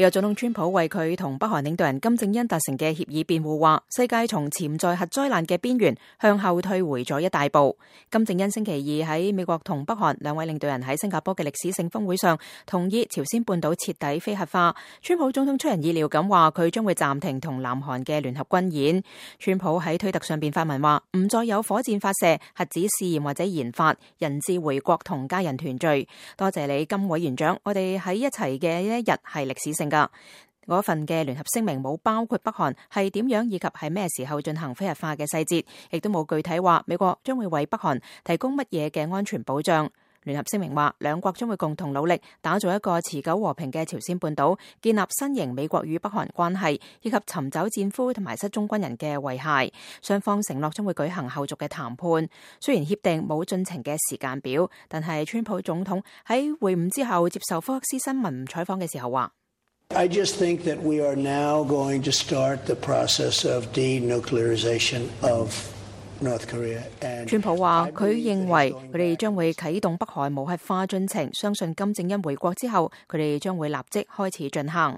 美國總統川普為佢同北韓領導人金正恩達成嘅協議辯護，話世界從潛在核災難嘅邊緣向後退回咗一大步。金正恩星期二喺美國同北韓兩位領導人喺新加坡嘅歷史性峰會上同意朝鮮半島徹底非核化。川普總統出人意料咁話，佢將會暫停同南韓嘅聯合軍演。川普喺推特上邊發文話，唔再有火箭發射、核子試驗或者研發，人質回國同家人團聚。多謝你，金委員長，我哋喺一齊嘅一日係歷史性噶。嗰份嘅聯合聲明冇包括北韓係點樣以及係咩時候進行非核化嘅細節，亦都冇具體話美國將會為北韓提供乜嘢嘅安全保障。聯合聲明話，兩國將會共同努力打造一個持久和平嘅朝鮮半島，建立新型美國與北韓關係，以及尋找戰俘同埋失蹤軍人嘅遺骸。雙方承諾將會舉行後續嘅談判。雖然協定冇進程嘅時間表，但係川普總統喺會晤之後接受福克斯新聞採訪嘅時候話I just think that we are now going to start the process of denuclearization of North Korea. 川普話佢認為佢哋將會啟動北韓無核化進程，相信金正恩回國之後，佢哋將會立即開始進行。